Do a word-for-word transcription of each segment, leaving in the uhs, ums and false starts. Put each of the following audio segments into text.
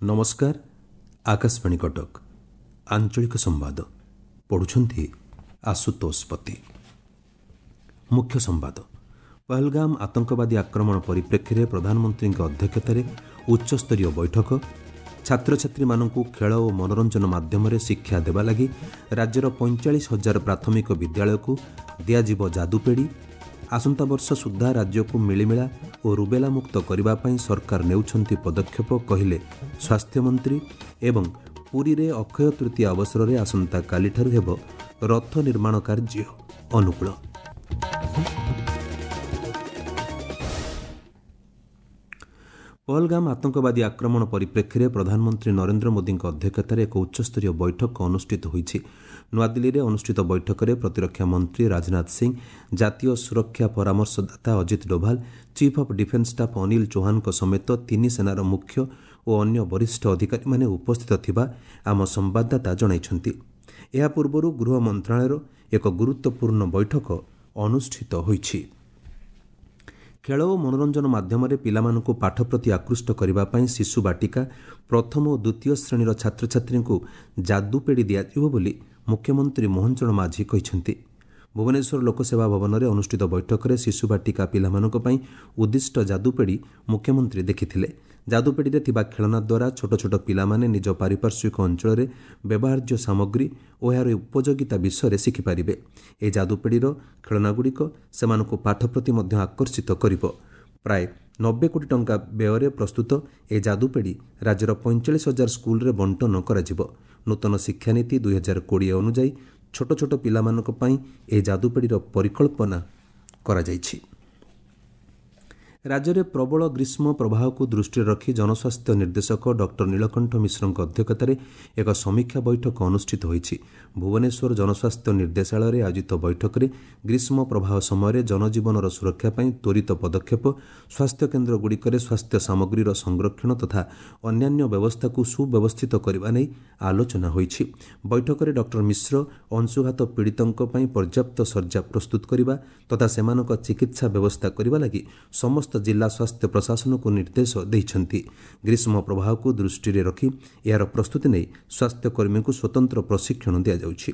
ନମସ୍କାର, ଆକାଶବାଣୀ କଟକ, ଆଞ୍ଚଳିକ ସମ୍ବାଦ ପଢ଼ୁଛନ୍ତି ଆଶୁତୋଷ ପତି। ମୁଖ୍ୟ ସମ୍ବାଦ। ପହଲଗାମ ଆତଙ୍କବାଦୀ ଆକ୍ରମଣ ପରିପ୍ରେକ୍ଷୀରେ ପ୍ରଧାନମନ୍ତ୍ରୀଙ୍କ ଅଧ୍ୟକ୍ଷତାରେ ଉଚ୍ଚସ୍ତରୀୟ ବୈଠକ। ଛାତ୍ରଛାତ୍ରୀମାନଙ୍କୁ ଖେଳ ଓ ମନୋରଞ୍ଜନ ମାଧ୍ୟମରେ ଶିକ୍ଷା ଦେବା ଲାଗି ରାଜ୍ୟର ପଇଁଚାଳିଶ ହଜାର ପ୍ରାଥମିକ ବିଦ୍ୟାଳୟକୁ ଦିଆଯିବ ଯାଦୁପେଡ଼ି। ଆସନ୍ତା ବର୍ଷ ସୁଦ୍ଧା ରାଜ୍ୟକୁ ମିଳିମିଳା ଓ ରୁବେଲା ମୁକ୍ତ କରିବା ପାଇଁ ସରକାର ନେଉଛନ୍ତି ପଦକ୍ଷେପ, କହିଲେ ସ୍ୱାସ୍ଥ୍ୟମନ୍ତ୍ରୀ। ଏବଂ ପୁରୀରେ ଅକ୍ଷୟ ତୃତୀୟା ଅବସରରେ ଆସନ୍ତାକାଲିଠାରୁ ହେବ ରଥ ନିର୍ମାଣ କାର୍ଯ୍ୟ ଅନୁକୂଳ। ପହଲଗାମ ଆତଙ୍କବାଦୀ ଆକ୍ରମଣ ପରିପ୍ରେକ୍ଷୀରେ ପ୍ରଧାନମନ୍ତ୍ରୀ ନରେନ୍ଦ୍ର ମୋଦିଙ୍କ ଅଧ୍ୟକ୍ଷତାରେ ଏକ ଉଚ୍ଚସ୍ତରୀୟ ବୈଠକ ଅନୁଷ୍ଠିତ ହୋଇଛି। ନୂଆଦିଲ୍ଲୀରେ ଅନୁଷ୍ଠିତ ବୈଠକରେ ପ୍ରତିରକ୍ଷା ମନ୍ତ୍ରୀ ରାଜନାଥ ସିଂ, ଜାତୀୟ ସୁରକ୍ଷା ପରାମର୍ଶଦାତା Ajit Doval, chief of defence staff Anil ଚୌହାନଙ୍କ ସମେତ ତିନି ସେନାର ମୁଖ୍ୟ ଓ ଅନ୍ୟ ବରିଷ୍ଠ ଅଧିକାରୀମାନେ ଉପସ୍ଥିତ ଥିବା ଆମ ସମ୍ବାଦଦାତା ଜଣାଇଛନ୍ତି। ଏହା ପୂର୍ବରୁ ଗୃହ ମନ୍ତ୍ରଣାଳୟର ଏକ ଗୁରୁତ୍ୱପୂର୍ଣ୍ଣ ବୈଠକ ଅନୁଷ୍ଠିତ ହୋଇଛି। ଖେଳ ଓ ମନୋରଞ୍ଜନ ମାଧ୍ୟମରେ ପିଲାମାନଙ୍କୁ ପାଠ ପ୍ରତି ଆକୃଷ୍ଟ କରିବା ପାଇଁ ଶିଶୁ ବାଟିକା ପ୍ରଥମ ଓ ଦ୍ୱିତୀୟ ଶ୍ରେଣୀର ଛାତ୍ରଛାତ୍ରୀଙ୍କୁ ଯାଦୁପେଡ଼ି ଦିଆଯିବ ବୋଲି ମୁଖ୍ୟମନ୍ତ୍ରୀ ମୋହନ ଚରଣ ମାଝୀ କହିଛନ୍ତି। ଭୁବନେଶ୍ୱର ଲୋକସେବା ଭବନରେ ଅନୁଷ୍ଠିତ ବୈଠକରେ ଶିଶୁ ବାଟିକା ପିଲାମାନଙ୍କ ପାଇଁ ଉଦ୍ଦିଷ୍ଟ ଯାଦୁପେଡ଼ି ମୁଖ୍ୟମନ୍ତ୍ରୀ ଦେଖିଥିଲେ। ଯାଦୁପେଡ଼ିରେ ଥିବା ଖେଳନା ଦ୍ୱାରା ଛୋଟ ଛୋଟ ପିଲାମାନେ ନିଜ ପାରିପାର୍ଶ୍ୱିକ ଅଞ୍ଚଳରେ ବ୍ୟବହାର୍ଯ୍ୟ ସାମଗ୍ରୀ ଓ ଏହାର ଉପଯୋଗିତା ବିଷୟରେ ଶିଖିପାରିବେ। ଏହି ଯାଦୁପେଡ଼ିର ଖେଳନାଗୁଡ଼ିକ ସେମାନଙ୍କୁ ପାଠ ପ୍ରତି ମଧ୍ୟ ଆକର୍ଷିତ କରିବ। ପ୍ରାୟ ନବେ କୋଟି ଟଙ୍କା ବ୍ୟୟରେ ପ୍ରସ୍ତୁତ ଏହି ଯାଦୁପେଡ଼ି ରାଜ୍ୟର ପଇଁଚାଳିଶ ହଜାର ସ୍କୁଲରେ ବଣ୍ଟନ କରାଯିବ। ନୂତନ ଶିକ୍ଷାନୀତି ଦୁଇହଜାର କୋଡ଼ିଏ ଅନୁଯାୟୀ ଛୋଟ ଛୋଟ ପିଲାମାନଙ୍କ ପାଇଁ ଏହି ଯାଦୁପେଡ଼ିର ପରିକଳ୍ପନା କରାଯାଇଛି। ରାଜ୍ୟରେ ପ୍ରବଳ ଗ୍ରୀଷ୍ମ ପ୍ରବାହକୁ ଦୃଷ୍ଟିରେ ରଖି ଜନସ୍ୱାସ୍ଥ୍ୟ ନିର୍ଦ୍ଦେଶକ ଡକ୍ଟର ନୀଳକଣ୍ଠ ମିଶ୍ରଙ୍କ ଅଧ୍ୟକ୍ଷତାରେ ଏକ ସମୀକ୍ଷା ବୈଠକ ଅନୁଷ୍ଠିତ ହୋଇଛି। ଭୁବନେଶ୍ୱର ଜନସ୍ୱାସ୍ଥ୍ୟ ନିର୍ଦ୍ଦେଶାଳୟରେ ଆୟୋଜିତ ବୈଠକରେ ଗ୍ରୀଷ୍ମ ପ୍ରବାହ ସମୟରେ ଜନଜୀବନର ସୁରକ୍ଷା ପାଇଁ ତ୍ୱରିତ ପଦକ୍ଷେପ, ସ୍ୱାସ୍ଥ୍ୟକେନ୍ଦ୍ରଗୁଡ଼ିକରେ ସ୍ୱାସ୍ଥ୍ୟ ସାମଗ୍ରୀର ସଂରକ୍ଷଣ ତଥା ଅନ୍ୟାନ୍ୟ ବ୍ୟବସ୍ଥାକୁ ସୁବ୍ୟବସ୍ଥିତ କରିବା ନେଇ ଆଲୋଚନା ହୋଇଛି। ବୈଠକରେ ଡକ୍ଟର ମିଶ୍ର ଅଂଶୁଘାତ ପୀଡ଼ିତଙ୍କ ପାଇଁ ପର୍ଯ୍ୟାପ୍ତ ଶଯ୍ୟା ପ୍ରସ୍ତୁତ କରିବା ତଥା ସେମାନଙ୍କ ଚିକିତ୍ସା ବ୍ୟବସ୍ଥା କରିବା ଲାଗି ସମସ୍ତ ଜିଲ୍ଲା ସ୍ୱାସ୍ଥ୍ୟ ପ୍ରଶାସନକୁ ନିର୍ଦ୍ଦେଶ ଦେଇଛନ୍ତି। ଗ୍ରୀଷ୍ମ ପ୍ରବାହକୁ ଦୃଷ୍ଟିରେ ରଖି ଏହାର ପ୍ରସ୍ତୁତି ନେଇ ସ୍ୱାସ୍ଥ୍ୟକର୍ମୀଙ୍କୁ ସ୍ୱତନ୍ତ୍ର ପ୍ରଶିକ୍ଷଣ ଦିଆଯାଉଛି।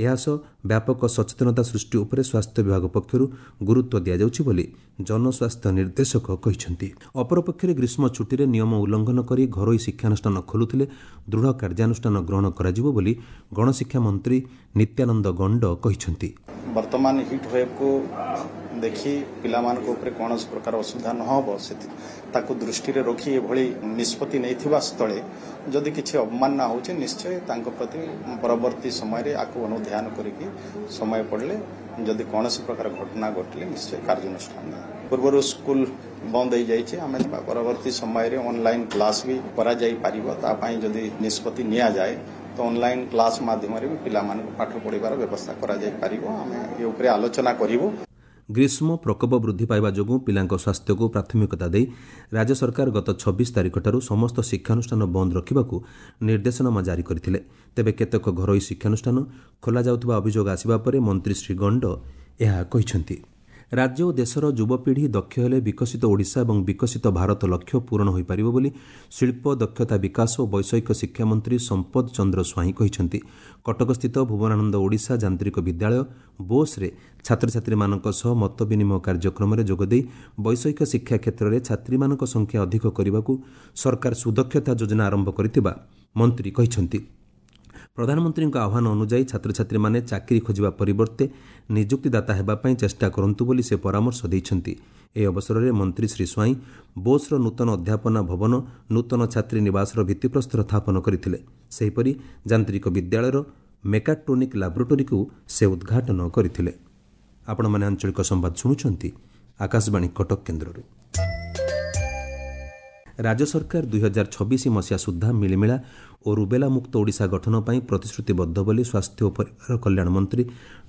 ଏହାସହ ବ୍ୟାପକ ସଚେତନତା ସୃଷ୍ଟି ଉପରେ ସ୍ୱାସ୍ଥ୍ୟ ବିଭାଗ ପକ୍ଷରୁ ଗୁରୁତ୍ୱ ଦିଆଯାଉଛି ବୋଲି ଜନସ୍ୱାସ୍ଥ୍ୟ ନିର୍ଦ୍ଦେଶକ କହିଛନ୍ତି। ଅପରପକ୍ଷରେ ଗ୍ରୀଷ୍ମ ଛୁଟିରେ ନିୟମ ଉଲ୍ଲଂଘନ କରି ଘରୋଇ ଶିକ୍ଷାନୁଷ୍ଠାନ ଖୋଲୁଥିଲେ ଦୃଢ଼ କାର୍ଯ୍ୟାନୁଷ୍ଠାନ ଗ୍ରହଣ କରାଯିବ ବୋଲି ଗଣଶିକ୍ଷା ମନ୍ତ୍ରୀ ନିତ୍ୟାନନ୍ଦ ଗଣ୍ଡ କହିଛନ୍ତି। ବର୍ତ୍ତମାନ ହିଟ୍ ୱେଭ୍କୁ ଦେଖି ପିଲାମାନଙ୍କ ଉପରେ କୌଣସି ପ୍ରକାର ଅସୁବିଧା ନ ହେବ ତାକୁ ଦୃଷ୍ଟିରେ ରଖି ଏଭଳି ନିଷ୍ପତ୍ତି ନେଇଥିବା ସ୍ଥଳେ ଯଦି କିଛି ଅବମାନନା ହେଉଛି, ନିଶ୍ଚୟ ତାଙ୍କ ପ୍ରତି ପରବର୍ତ୍ତୀ ସମୟରେ ଆକୁ ଅନୁଧ୍ୟାନ କରିକି ସମୟ ପଡ଼ିଲେ ଯଦି କୌଣସି ପ୍ରକାର ଘଟଣା ଘଟିଲେ ନିଶ୍ଚୟ କାର୍ଯ୍ୟାନୁଷ୍ଠାନ। ପୂର୍ବରୁ ସ୍କୁଲ ବନ୍ଦ ହେଇଯାଇଛି, ଆମେ ପରବର୍ତ୍ତୀ ସମୟରେ ଅନଲାଇନ୍ କ୍ଲାସ୍ ବି କରାଯାଇପାରିବ। ତା ପାଇଁ ଯଦି ନିଷ୍ପତ୍ତି ନିଆଯାଏ ତ ଅନଲାଇନ୍ କ୍ଲାସ୍ ମାଧ୍ୟମରେ ବି ପିଲାମାନଙ୍କୁ ପାଠ ପଢ଼ିବାର ବ୍ୟବସ୍ଥା କରାଯାଇପାରିବ। ଆମେ ଏ ଉପରେ ଆଲୋଚନା କରିବୁ। ଗ୍ରୀଷ୍ମ ପ୍ରକୋପ ବୃଦ୍ଧି ପାଇବା ଯୋଗୁଁ ପିଲାଙ୍କ ସ୍ୱାସ୍ଥ୍ୟକୁ ପ୍ରାଥମିକତା ଦେଇ ରାଜ୍ୟ ସରକାର ଗତ ଛବିଶ ତାରିଖଠାରୁ ସମସ୍ତ ଶିକ୍ଷାନୁଷ୍ଠାନ ବନ୍ଦ ରଖିବାକୁ ନିର୍ଦ୍ଦେଶନାମା ଜାରି କରିଥିଲେ। ତେବେ କେତେକ ଘରୋଇ ଶିକ୍ଷାନୁଷ୍ଠାନ ଖୋଲାଯାଉଥିବା ଅଭିଯୋଗ ଆସିବା ପରେ ମନ୍ତ୍ରୀ ଶ୍ରୀ ଗଣ୍ଡ ଏହା କହିଛନ୍ତି। ରାଜ୍ୟ ଓ ଦେଶର ଯୁବପିଢ଼ି ଦକ୍ଷ ହେଲେ ବିକଶିତ ଓଡ଼ିଶା ଏବଂ ବିକଶିତ ଭାରତ ଲକ୍ଷ୍ୟ ପୂରଣ ହୋଇପାରିବ ବୋଲି ଶିଳ୍ପ, ଦକ୍ଷତା ବିକାଶ ଓ ବୈଷୟିକ ଶିକ୍ଷାମନ୍ତ୍ରୀ ସମ୍ପଦ ଚନ୍ଦ୍ର ସ୍ୱାଇଁ କହିଛନ୍ତି। କଟକସ୍ଥିତ ଭୁବନାନନ୍ଦ ଓଡ଼ିଶା ଯାନ୍ତ୍ରିକ ବିଦ୍ୟାଳୟ ବୋସ୍ରେ ଛାତ୍ରଛାତ୍ରୀମାନଙ୍କ ସହ ମତ ବିନିମୟ କାର୍ଯ୍ୟକ୍ରମରେ ଯୋଗଦେଇ ବୈଷୟିକ ଶିକ୍ଷା କ୍ଷେତ୍ରରେ ଛାତ୍ରୀମାନଙ୍କ ସଂଖ୍ୟା ଅଧିକ କରିବାକୁ ସରକାର ସୁଦକ୍ଷତା ଯୋଜନା ଆରମ୍ଭ କରିଥିବା ମନ୍ତ୍ରୀ କହିଛନ୍ତି। ପ୍ରଧାନମନ୍ତ୍ରୀଙ୍କ ଆହ୍ୱାନ ଅନୁଯାୟୀ ଛାତ୍ରଛାତ୍ରୀମାନେ ଚାକିରି ଖୋଜିବା ପରିବର୍ତ୍ତେ ନିଯୁକ୍ତିଦାତା ହେବା ପାଇଁ ଚେଷ୍ଟା କରନ୍ତୁ ବୋଲି ସେ ପରାମର୍ଶ ଦେଇଛନ୍ତି। ଏହି ଅବସରରେ ମନ୍ତ୍ରୀ ଶ୍ରୀ ସ୍ୱାଇଁ ବୋସ୍ର ନୂତନ ଅଧ୍ୟାପନା ଭବନ, ନୂତନ ଛାତ୍ରୀ ନିବାସର ଭିତ୍ତିପ୍ରସ୍ତର ସ୍ଥାପନ କରିଥିଲେ। ସେହିପରି ଯାନ୍ତ୍ରିକ ବିଦ୍ୟାଳୟର ମେକାଟ୍ରୋନିକ୍ ଲାବୋରେଟୋରୀକୁ ସେ ଉଦ୍ଘାଟନ କରିଥିଲେ। ଆପଣମାନେ ଆଞ୍ଚଳିକ ସମ୍ବାଦ ଶୁଣୁଛନ୍ତି ଆକାଶବାଣୀ କଟକ କେନ୍ଦ୍ରରୁ। ରାଜ୍ୟ ସରକାର ଦୁଇହଜାର ଛବିଶ ମସିହା ସୁଦ୍ଧା ମିଳିମିଳା ଓ ରୁବେଲା ମୁକ୍ତ ଓଡ଼ିଶା ଗଠନ ପାଇଁ ପ୍ରତିଶ୍ରୁତିବଦ୍ଧ ବୋଲି ସ୍ୱାସ୍ଥ୍ୟ ଓ ପରିବାର କଲ୍ୟାଣ ମନ୍ତ୍ରୀ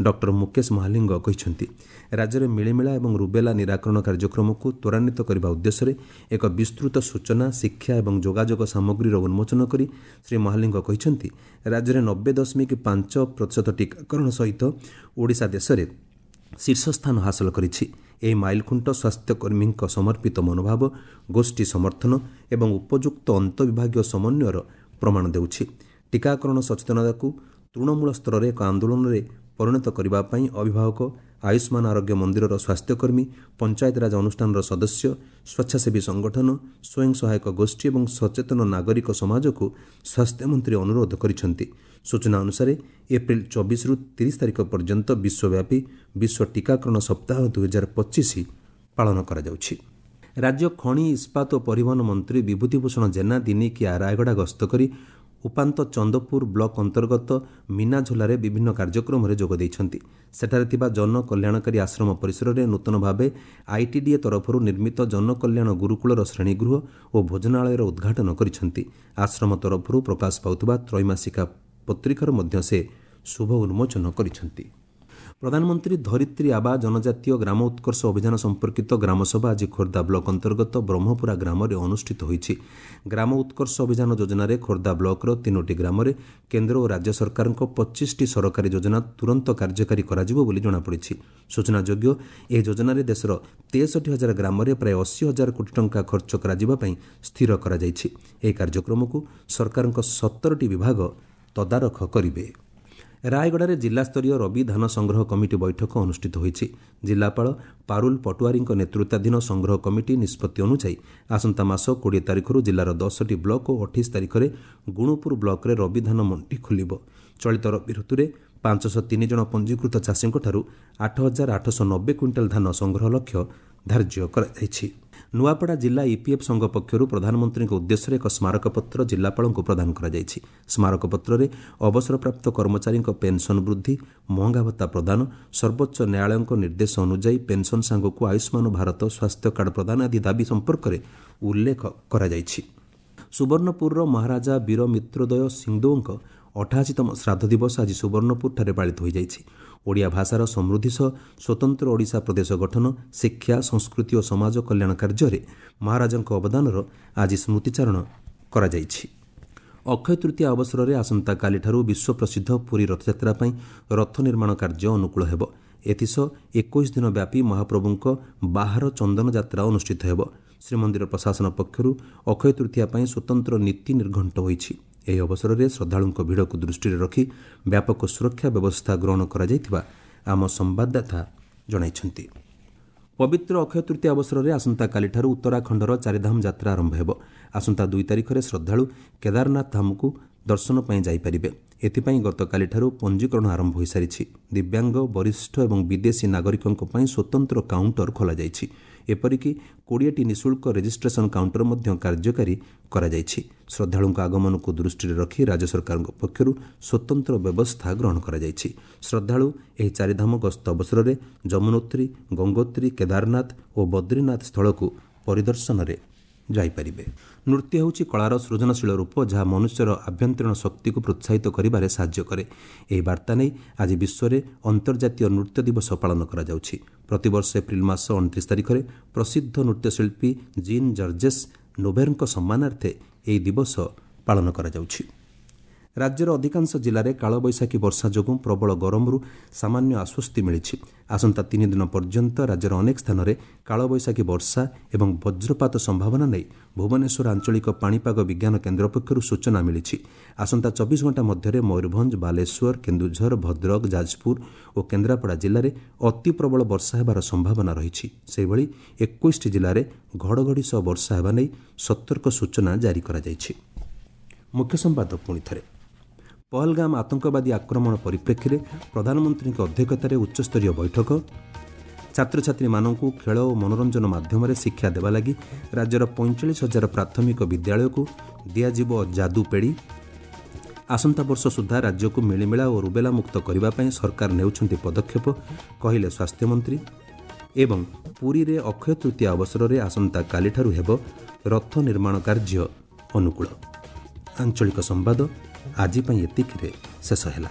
ଡକ୍ଟର ମୁକେଶ ମହାଲିଙ୍ଗ କହିଛନ୍ତି। ରାଜ୍ୟରେ ମିଳିମିଳା ଏବଂ ରୁବେଲା ନିରାକରଣ କାର୍ଯ୍ୟକ୍ରମକୁ ତ୍ୱରାନ୍ୱିତ କରିବା ଉଦ୍ଦେଶ୍ୟରେ ଏକ ବିସ୍ତୃତ ସୂଚନା, ଶିକ୍ଷା ଏବଂ ଯୋଗାଯୋଗ ସାମଗ୍ରୀର ଉନ୍ମୋଚନ କରି ଶ୍ରୀ ମହାଲିଙ୍ଗ କହିଛନ୍ତି, ରାଜ୍ୟରେ ନବେ ଦଶମିକ ପାଞ୍ଚ ପ୍ରତିଶତ ଟିକାକରଣ ସହିତ ଓଡ଼ିଶା ଦେଶରେ ଶୀର୍ଷସ୍ଥାନ ହାସଲ କରିଛି। ଏହି ମାଇଲଖୁଣ୍ଟ ସ୍ୱାସ୍ଥ୍ୟକର୍ମୀଙ୍କ ସମର୍ପିତ ମନୋଭାବ, ଗୋଷ୍ଠୀ ସମର୍ଥନ ଏବଂ ଉପଯୁକ୍ତ ଅନ୍ତଃବିଭାଗୀୟ ସମନ୍ୱୟର ପ୍ରମାଣ ଦେଉଛି। ଟିକାକରଣ ସଚେତନତାକୁ ତୃଣମୂଳ ସ୍ତରରେ ଏକ ଆନ୍ଦୋଳନରେ ପରିଣତ କରିବା ପାଇଁ ଅଭିଭାବକ, ଆୟୁଷ୍ମାନ ଆରୋଗ୍ୟ ମନ୍ଦିରର ସ୍ୱାସ୍ଥ୍ୟକର୍ମୀ, ପଞ୍ଚାୟତିରାଜ ଅନୁଷ୍ଠାନର ସଦସ୍ୟ, ସ୍ୱେଚ୍ଛାସେବୀ ସଂଗଠନ, ସ୍ୱୟଂ ସହାୟକ ଗୋଷ୍ଠୀ ଏବଂ ସଚେତନ ନାଗରିକ ସମାଜକୁ ସ୍ୱାସ୍ଥ୍ୟମନ୍ତ୍ରୀ ଅନୁରୋଧ କରିଛନ୍ତି। ସୂଚନା ଅନୁସାରେ ଏପ୍ରିଲ ଚବିଶରୁ ତିରିଶ ତାରିଖ ପର୍ଯ୍ୟନ୍ତ ବିଶ୍ୱବ୍ୟାପୀ ବିଶ୍ୱ ଟିକାକରଣ ସପ୍ତାହ ଦୁଇହଜାର ପଚିଶ ପାଳନ କରାଯାଉଛି। ରାଜ୍ୟ ଖଣି, ଇସ୍ପାତ ଓ ପରିବହନ ମନ୍ତ୍ରୀ ବିଭୂତିଭୂଷଣ ଜେନା ଦିନିକିଆ ରାୟଗଡ଼ା ଗସ୍ତ କରି ଉପାନ୍ତ ଚନ୍ଦପୁର ବ୍ଲକ ଅନ୍ତର୍ଗତ ମିନାଝୋଲାରେ ବିଭିନ୍ନ କାର୍ଯ୍ୟକ୍ରମରେ ଯୋଗ ଦେଇଛନ୍ତି। ସେଠାରେ ଥିବା ଜନକଲ୍ୟାଣକାରୀ ଆଶ୍ରମ ପରିସରରେ ନୂତନ ଭାବେ ଆଇଟିଡିଏ ତରଫରୁ ନିର୍ମିତ ଜନକଲ୍ୟାଣ ଗୁରୁକୁଳର ଶ୍ରେଣୀଗୃହ ଓ ଭୋଜନାଳୟର ଉଦ୍ଘାଟନ କରିଛନ୍ତି। ଆଶ୍ରମ ତରଫରୁ ପ୍ରକାଶ ପାଉଥିବା ତ୍ରୈମାସିକା ପତ୍ରିକାର ମଧ୍ୟ ସେ ଶୁଭ ଉନ୍ମୋଚନ କରିଛନ୍ତି। ପ୍ରଧାନମନ୍ତ୍ରୀ ଧରିତ୍ରୀ ଆବା ଜନଜାତୀୟ ଗ୍ରାମ ଉତ୍କର୍ଷ ଅଭିଯାନ ସମ୍ପର୍କିତ ଗ୍ରାମସଭା ଆଜି ଖୋର୍ଦ୍ଧା ବ୍ଲକ ଅନ୍ତର୍ଗତ ବ୍ରହ୍ମପୁରା ଗ୍ରାମରେ ଅନୁଷ୍ଠିତ ହୋଇଛି। ଗ୍ରାମ ଉତ୍କର୍ଷ ଅଭିଯାନ ଯୋଜନାରେ ଖୋର୍ଦ୍ଧା ବ୍ଲକର ତିନୋଟି ଗ୍ରାମରେ କେନ୍ଦ୍ର ଓ ରାଜ୍ୟ ସରକାରଙ୍କ ପଚିଶଟି ସରକାରୀ ଯୋଜନା ତୁରନ୍ତ କାର୍ଯ୍ୟକାରୀ କରାଯିବ ବୋଲି ଜଣାପଡ଼ିଛି। ସୂଚନାଯୋଗ୍ୟ, ଏହି ଯୋଜନାରେ ଦେଶର ତେଷଠି ହଜାର ଗ୍ରାମରେ ପ୍ରାୟ ଅଶୀ ହଜାର କୋଟି ଟଙ୍କା ଖର୍ଚ୍ଚ କରାଯିବା ପାଇଁ ସ୍ଥିର କରାଯାଇଛି। ଏହି କାର୍ଯ୍ୟକ୍ରମକୁ ସରକାରଙ୍କ ସତରଟି ବିଭାଗ ତଦାରଖ କରିବେ। ରାୟଗଡ଼ାରେ ଜିଲ୍ଲାସ୍ତରୀୟ ରବି ଧାନ ସଂଗ୍ରହ କମିଟି ବୈଠକ ଅନୁଷ୍ଠିତ ହୋଇଛି। ଜିଲ୍ଲାପାଳ ପାରୁଲ ପଟୁଆରୀଙ୍କ ନେତୃତ୍ୱାଧୀନ ସଂଗ୍ରହ କମିଟି ନିଷ୍ପତ୍ତି ଅନୁଯାୟୀ ଆସନ୍ତା ମାସ କୋଡ଼ିଏ ତାରିଖରୁ ଜିଲ୍ଲାର ଦଶଟି ବ୍ଲକ ଓ ଅଠେଇଶ ତାରିଖରେ ଗୁଣୁପୁର ବ୍ଲକରେ ରବି ଧାନ ମଣ୍ଡି ଖୋଲିବ। ଚଳିତ ରବି ଋତୁରେ ପାଞ୍ଚଶହ ତିନି ଜଣ ପଞ୍ଜୀକୃତ ଚାଷୀଙ୍କଠାରୁ ଆଠ ହଜାର ଆଠଶହ ନବେ କ୍ୱିଣ୍ଟାଲ ଧାନ ସଂଗ୍ରହ ଲକ୍ଷ୍ୟ ଧାର୍ଯ୍ୟ କରାଯାଇଛି। ନୂଆପଡ଼ା ଜିଲ୍ଲା ଇପିଏଫ୍ ସଂଘ ପକ୍ଷରୁ ପ୍ରଧାନମନ୍ତ୍ରୀଙ୍କ ଉଦ୍ଦେଶ୍ୟରେ ଏକ ସ୍ମାରକପତ୍ର ଜିଲ୍ଲାପାଳଙ୍କୁ ପ୍ରଦାନ କରାଯାଇଛି। ସ୍ମାରକପତ୍ରରେ ଅବସରପ୍ରାପ୍ତ କର୍ମଚାରୀଙ୍କ ପେନ୍ସନ୍ ବୃଦ୍ଧି, ମହଙ୍ଗା ଭତ୍ତା ପ୍ରଦାନ, ସର୍ବୋଚ୍ଚ ନ୍ୟାୟାଳୟଙ୍କ ନିର୍ଦ୍ଦେଶ ଅନୁଯାୟୀ ପେନ୍ସନ୍ ସାଙ୍ଗକୁ ଆୟୁଷ୍ମାନ ଭାରତ ସ୍ୱାସ୍ଥ୍ୟ କାର୍ଡ଼ ପ୍ରଦାନ ଆଦି ଦାବି ସମ୍ପର୍କରେ ଉଲ୍ଲେଖ କରାଯାଇଛି। ସୁବର୍ଣ୍ଣପୁରର ମହାରାଜା ବୀର ମିତ୍ରୋଦୟ ସିଂଦେଓଙ୍କ ଅଠାଅଶୀତମ ଶ୍ରାଦ୍ଧ ଦିବସ ଆଜି ସୁବର୍ଣ୍ଣପୁରଠାରେ ପାଳିତ ହୋଇଯାଇଛି। ଓଡ଼ିଆ ଭାଷାର ସମୃଦ୍ଧି ସହ ସ୍ୱତନ୍ତ୍ର ଓଡ଼ିଶା ପ୍ରଦେଶ ଗଠନ, ଶିକ୍ଷା, ସଂସ୍କୃତି ଓ ସମାଜ କଲ୍ୟାଣ କାର୍ଯ୍ୟରେ ମହାରାଜାଙ୍କ ଅବଦାନର ଆଜି ସ୍ମୃତିଚାରଣ କରାଯାଇଛି। ଅକ୍ଷୟ ତୃତୀୟା ଅବସରରେ ଆସନ୍ତାକାଲିଠାରୁ ବିଶ୍ୱପ୍ରସିଦ୍ଧ ପୁରୀ ରଥଯାତ୍ରା ପାଇଁ ରଥ ନିର୍ମାଣ କାର୍ଯ୍ୟ ଅନୁକୂଳ ହେବ। ଏଥିସହ ଏକୋଇଶ ଦିନ ବ୍ୟାପୀ ମହାପ୍ରଭୁଙ୍କ ବାହାର ଚନ୍ଦନ ଯାତ୍ରା ଅନୁଷ୍ଠିତ ହେବ। ଶ୍ରୀମନ୍ଦିର ପ୍ରଶାସନ ପକ୍ଷରୁ ଅକ୍ଷୟ ତୃତୀୟା ପାଇଁ ସ୍ୱତନ୍ତ୍ର ନୀତି ନିର୍ଘଣ୍ଟ ହୋଇଛି। ଏହି ଅବସରରେ ଶ୍ରଦ୍ଧାଳୁଙ୍କ ଭିଡ଼କୁ ଦୃଷ୍ଟିରେ ରଖି ବ୍ୟାପକ ସୁରକ୍ଷା ବ୍ୟବସ୍ଥା ଗ୍ରହଣ କରାଯାଇଥିବା ଆମ ସମ୍ବାଦଦାତା ଜଣାଇଛନ୍ତି। ପବିତ୍ର ଅକ୍ଷୟ ତୃତୀୟା ଅବସରରେ ଆସନ୍ତାକାଲିଠାରୁ ଉତ୍ତରାଖଣ୍ଡର ଚାରିଧାମ ଯାତ୍ରା ଆରମ୍ଭ ହେବ। ଆସନ୍ତା ଦୁଇ ତାରିଖରେ ଶ୍ରଦ୍ଧାଳୁ କେଦାରନାଥ ଧାମକୁ ଦର୍ଶନ ପାଇଁ ଯାଇପାରିବେ। ଏଥିପାଇଁ ଗତକାଲିଠାରୁ ପଞ୍ଜୀକରଣ ଆରମ୍ଭ ହୋଇସାରିଛି। ଦିବ୍ୟାଙ୍ଗ, ବରିଷ୍ଠ ଏବଂ ବିଦେଶୀ ନାଗରିକଙ୍କ ପାଇଁ ସ୍ୱତନ୍ତ୍ର କାଉଣ୍ଟର ଖୋଲାଯାଇଛି। ଏପରିକି କୋଡ଼ିଏଟି ନିଃଶୁଳ୍କ ରେଜିଷ୍ଟ୍ରେସନ କାଉଣ୍ଟର ମଧ୍ୟ କାର୍ଯ୍ୟକାରୀ କରାଯାଇଛି। ଶ୍ରଦ୍ଧାଳୁଙ୍କ ଆଗମନକୁ ଦୃଷ୍ଟିରେ ରଖି ରାଜ୍ୟ ସରକାରଙ୍କ ପକ୍ଷରୁ ସ୍ୱତନ୍ତ୍ର ବ୍ୟବସ୍ଥା ଗ୍ରହଣ କରାଯାଇଛି। ଶ୍ରଦ୍ଧାଳୁ ଏହି ଚାରିଧାମ ଗସ୍ତ ଅବସରରେ ଯମୁନୋତ୍ରୀ, ଗଙ୍ଗୋତ୍ରୀ, କେଦାରନାଥ ଓ ବଦ୍ରୀନାଥ ସ୍ଥଳକୁ ପରିଦର୍ଶନରେ ଯାଇପାରିବେ। ନୃତ୍ୟ ହେଉଛି କଳାର ସୃଜନଶୀଳ ରୂପ, ଯାହା ମନୁଷ୍ୟର ଆଭ୍ୟନ୍ତରୀଣ ଶକ୍ତିକୁ ପ୍ରୋତ୍ସାହିତ କରିବାରେ ସାହାଯ୍ୟ କରେ। ଏହି ବାର୍ତ୍ତା ନେଇ ଆଜି ବିଶ୍ୱରେ ଅନ୍ତର୍ଜାତୀୟ ନୃତ୍ୟ ଦିବସ ପାଳନ କରାଯାଉଛି। ପ୍ରତିବର୍ଷ ଏପ୍ରିଲ ମାସ ଅଣତିରିଶ ତାରିଖରେ ପ୍ରସିଦ୍ଧ ନୃତ୍ୟଶିଳ୍ପୀ ଜିନ୍ ଜର୍ଜେସ୍ ନୋଭେରଙ୍କ ସମ୍ମାନାର୍ଥେ ଏହି ଦିବସ ପାଳନ କରାଯାଉଛି। ରାଜ୍ୟର ଅଧିକାଂଶ ଜିଲ୍ଲାରେ କାଳବୈଶାଖୀ ବର୍ଷା ଯୋଗୁଁ ପ୍ରବଳ ଗରମରୁ ସାମାନ୍ୟ ଆଶ୍ୱସ୍ତି ମିଳିଛି। ଆସନ୍ତା ତିନି ଦିନ ପର୍ଯ୍ୟନ୍ତ ରାଜ୍ୟର ଅନେକ ସ୍ଥାନରେ କାଳବୈଶାଖୀ ବର୍ଷା ଏବଂ ବଜ୍ରପାତ ସମ୍ଭାବନା ନେଇ ଭୁବନେଶ୍ୱର ଆଞ୍ଚଳିକ ପାଣିପାଗ ବିଜ୍ଞାନ କେନ୍ଦ୍ର ପକ୍ଷରୁ ସୂଚନା ମିଳିଛି। ଆସନ୍ତା ଚବିଶ ଘଣ୍ଟା ମଧ୍ୟରେ ମୟୂରଭଞ୍ଜ, ବାଲେଶ୍ୱର, କେନ୍ଦୁଝର, ଭଦ୍ରକ, ଯାଜପୁର ଓ କେନ୍ଦ୍ରାପଡ଼ା ଜିଲ୍ଲାରେ ଅତି ପ୍ରବଳ ବର୍ଷା ହେବାର ସମ୍ଭାବନା ରହିଛି। ସେହିଭଳି ଏକୋଇଶଟି ଜିଲ୍ଲାରେ ଘଡ଼ଘଡ଼ି ସହ ବର୍ଷା ହେବା ନେଇ ସତର୍କ ସୂଚନା ଜାରି କରାଯାଇଛି। ମୁଖ୍ୟ ସମ୍ବାଦ ପୁଣି ଥରେ। ପହଲଗାମ ଆତଙ୍କବାଦୀ ଆକ୍ରମଣ ପରିପ୍ରେକ୍ଷୀରେ ପ୍ରଧାନମନ୍ତ୍ରୀଙ୍କ ଅଧ୍ୟକ୍ଷତାରେ ଉଚ୍ଚସ୍ତରୀୟ ବୈଠକ। ଛାତ୍ରଛାତ୍ରୀମାନଙ୍କୁ ଖେଳ ଓ ମନୋରଞ୍ଜନ ମାଧ୍ୟମରେ ଶିକ୍ଷା ଦେବା ଲାଗି ରାଜ୍ୟର ପଇଁଚାଳିଶ ହଜାର ପ୍ରାଥମିକ ବିଦ୍ୟାଳୟକୁ ଦିଆଯିବ ଯାଦୁପେଡ଼ି। ଆସନ୍ତା ବର୍ଷ ସୁଦ୍ଧା ରାଜ୍ୟକୁ ମିଳିମିଳା ଓ ରୁବେଲା ମୁକ୍ତ କରିବା ପାଇଁ ସରକାର ନେଉଛନ୍ତି ପଦକ୍ଷେପ, କହିଲେ ସ୍ୱାସ୍ଥ୍ୟମନ୍ତ୍ରୀ। ଏବଂ ପୁରୀରେ ଅକ୍ଷୟ ତୃତୀୟା ଅବସରରେ ଆସନ୍ତାକାଲିଠାରୁ ହେବ ରଥ ନିର୍ମାଣ କାର୍ଯ୍ୟ ଅନୁକୂଳ। ଆଞ୍ଚଳିକ ସମ୍ବାଦ ଆଜି ପାଇଁ ଏତିକିରେ ଶେଷ ହେଲା।